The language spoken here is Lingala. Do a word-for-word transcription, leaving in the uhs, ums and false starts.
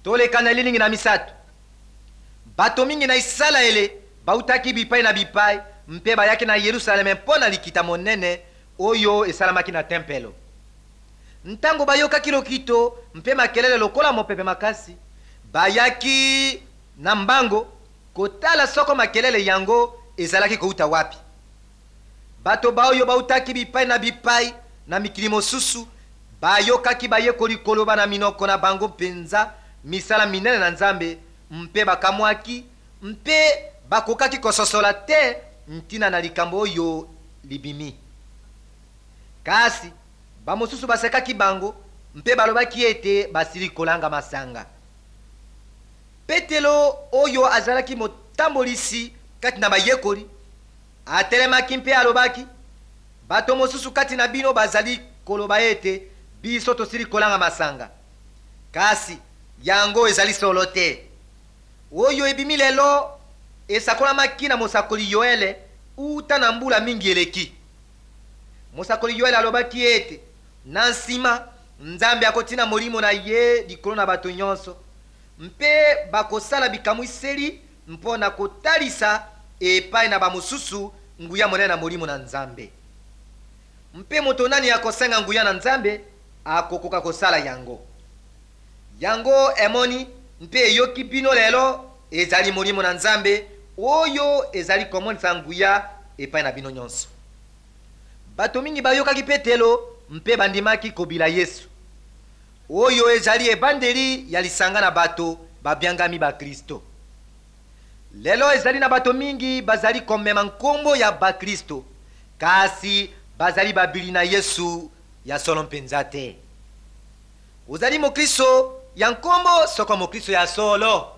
Toleka na elilingi na misato. Bato mingi na Isalaele bautaki bipai na bipai mpe bayaki na Yerusaleme mpo na likita monene oyo esalamaki na tempelo. Ntango bayokaki lokito mpe makelele lokola mopepe makasi, bayaki na mbango kotala soko makelele yango ezalaki kouta wapi. Bato baoyo bautaki bipai na bipai na mikili mosusu bayokaki bayekoli koloba na minoko na bango mpenza misala minene na Nzambe, mpe bakamwaki mpe bakokaki kososola te ntina na likambo oyo libimi. Kasi bamosusu basekaki bango mpe balobaki ete basili kolanga masanga. Petelo oyo azalaki motambolisi kati na bayekoli atelemaki mpe alobaki: bato mosusu kati na bino bazali koloba ete biso tosili kolanga masanga, kasi yango ezali solo te. Oyo ebimi lelo esakolamaki na mosakoli Yoele uta na mbula mingi eleki. Mosakoli Yoele alobaki ete na nsima Nzambe akotina molimo na ye likolo na bato nyonso, mpe bakosala bikamwiseli mpo na kotalisa epai na bamosusu nguya monene na molimo na Nzambe. Mpe moto nani akosenga nguya na Nzambe akokoka kosala yango. Yango emoni mpe eyoki bino lelo ezali molimo na Nzambe oyo ezali komonisa nguya epai na bino nyonso. Bato mingi bayokaki Petelo mpe bandimaki kobila Yesu. Oyo ezali ebandeli ya lisanga na bato babiangami Bakristo. Lelo ezali na bato mingi bazali komema nkombo ya Bakristo, kasi bazali babili na Yesu ya solo mpenza te. Ozali mokristo ya nkombo soko mokristo ya solo?